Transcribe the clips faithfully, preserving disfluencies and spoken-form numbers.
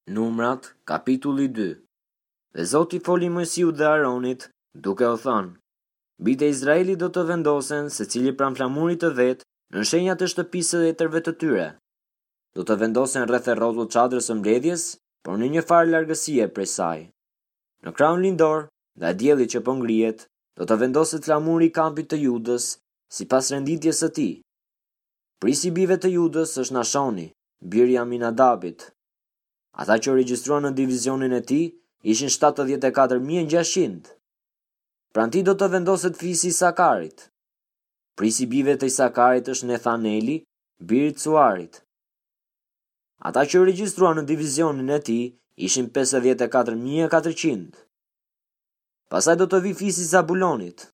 Numrat, kapitulli dy. Dhe Zoti foli Moisiut dhe Aronit, duke u thënë: Bijtë e Izraelit do të vendosen secili pranë flamurit të vet në shenjat e shtëpisë së etërve të tyre. Do të vendosen rreth e rrotull çadrës së mbledhjes, por në një farë largësie prej saj. Në krahun lindor, ndaj diellit që po ngrihet, do të vendoset flamuri i kampit të Judës, sipas renditjes së tij. Prisi i bijve të Judës është Nashoni, biri i Aminadabit. Ata që u regjistruan në divizionin e tij ishin shtatëdhjetë e katër mijë e gjashtëqind. Pranë tij do të vendoset fisi i Sakarit. Prisi i bijve të Isakarit është Nethaneli, biri i Tsuarit. Ata që u regjistruan në divizionin e tij ishin pesëdhjetë e katër mijë e katërqind. Pastaj do të vijë fisi i Zabulonit.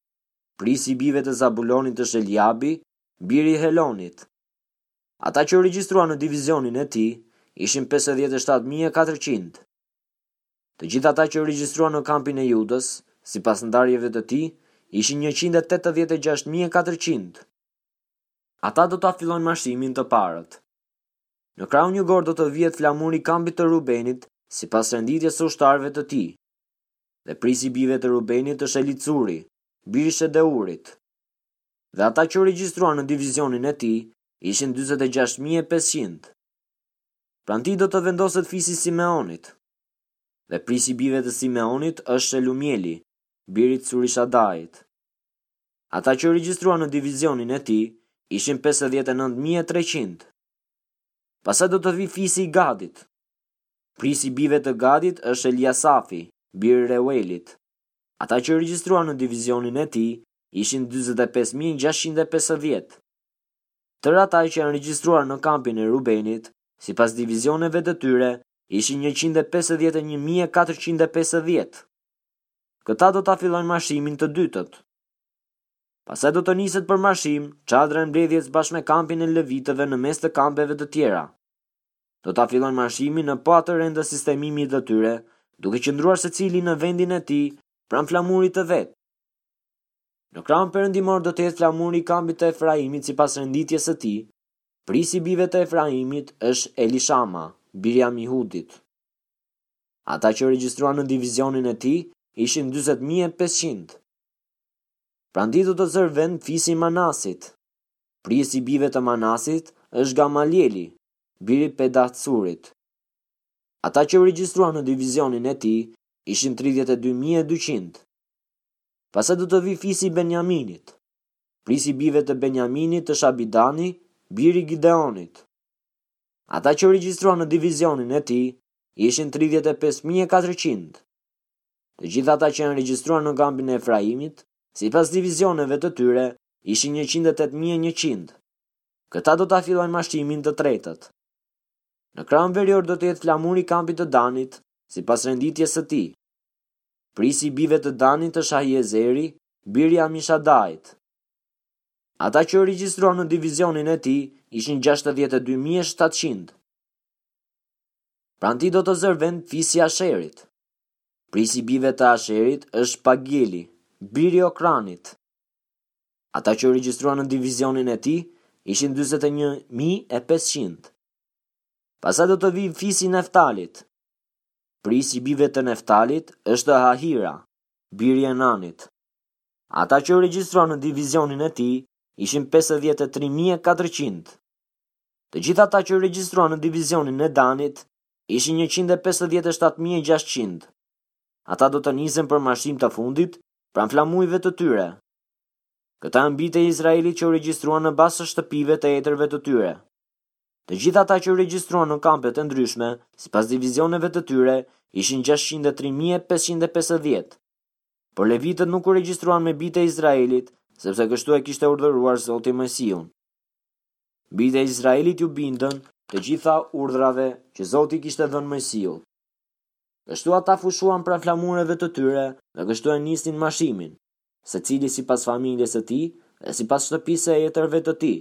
Prisi i bijve të Zabulonit është Eliabi, biri i Helonit. Ata që u regjistruan në divizionin e tij ishin pesëdhjetë e shtatë mijë e katërqind. Të gjithë ata që u regjistruan në kampin e Judës, sipas ndarjeve të tij, ishin njëqind e tetëdhjetë e gjashtë mijë e katërqind. Ata do ta fillojnë marshimin të parët. Në krahun jugor do të vihet flamuri i kampit të Rubenit, sipas renditjes së ushtarëve të tij. Dhe prisi i bijve të Rubenit është Elicuri, biri i Shedeurit. Dhe ata që u regjistruan në divizionin e tij ishin dyzet e gjashtë mijë e pesëqind. Pranë tij do të vendoset fisi i Simeonit. Dhe prisi i bijve të Simeonit është Shelumieli, biri i Curishadait. Ata që u regjistruan në divizionin e tij ishin pesëdhjetë e nëntë mijë e treqind. Pastaj do të vijë fisi i Gadit. Prisi i bijve të Gadit është Eliasafi, biri i Reuelit. Ata që u regjistruan në divizionin e tij ishin dyzet e pesë mijë gjashtëqind e pesëdhjetë. Tërë ata që janë regjistruar në kampin e Rubenit, sipas divizioneve të tyre, ishin njëqind e pesëdhjetë e një mijë e katërqind e pesëdhjetë. Këta do ta fillojnë marshimin të dytët. Pastaj do të niset për marshim çadra e mbledhjes bashkë me kampin e levitëve në mes të kampeve të tjera. Do ta fillojnë marshimin në po atë rend të sistemimit të tyre, duke qëndruar secili në vendin e tij pranë flamurit të vet. Në krahun perëndimor do të jetë flamuri i kampit të Efraimit sipas renditjes së tij. Prisi i bijve të Efraimit është Elishama, biri i Amihudit. Ata që u regjistruan në divizionin e tij ishin dyzet mijë e pesëqind. Pranë tij do të zërë vend fisi i Manasit. Prisi i bijve të Manasit është Gamalieli, biri i Pedahtsurit. Ata që u regjistruan në divizionin e tij ishin tridhjetë e dy mijë e dyqind. Pastaj do të vijë fisi i Benjaminit. Prisi i bijve të Benjaminit është Abidani, biri i Gideonit. Ata që u regjistruan në divizionin e tij ishin tridhjetë e pesë mijë e katërqind. Të gjithë ata që janë regjistruar në kampin e Efraimit, sipas divizioneve të tyre, ishin njëqind e tetë mijë e njëqind. Këta do ta fillojnë marshimin të tretët. Në krahun verior do të jetë flamuri i kampit të Danit, sipas renditjes së tij. Prisi i bijve të Danit është Ahiezeri, biri i Amishadait. Ata që u regjistruan në divizionin e tij ishin gjashtëdhjetë e dy mijë e shtatëqind. Pranë tij do të zërë vend fisi i Asherit. Prisi i bijve të Asherit është Pagieli, biri i Okranit. Ata që u regjistruan në divizionin e tij ishin dyzet e një mijë e pesëqind. Pastaj do të vijë fisi i Neftalit. Prisi i bijve të Neftalit është Ahira, biri i Enanit. Ata që u regjistruan në divizionin e tij ishin pesëdhjetë e tri mijë e katërqind. Të gjithë ata që u regjistruan në divizionin e Danit ishin njëqind e pesëdhjetë e shtatë mijë e gjashtëqind. Ata do të nisen për marshim të fundit pranë flamujve të tyre. Këta janë bijtë e Izraelit që u regjistruan në bazë të shtëpive të etërve të tyre. Të gjithë ata që u regjistruan në kampet e ndryshme, sipas divizioneve të tyre, ishin gjashtëqind e tri mijë e pesëqind e pesëdhjetë. Por levitët nuk u regjistruan me bijtë e Izraelit, sepse kështu e kishte urdhëruar Zoti Moisiun. Bijtë e Izraelit ju bindën të gjitha urdhrave që Zoti kishte dhënë Moisiut. Kështu ata fushuan pranë flamureve të tyre dhe kështu e nisnin marshimin, secili sipas familjes së tij dhe sipas shtëpisë së etërve të tij.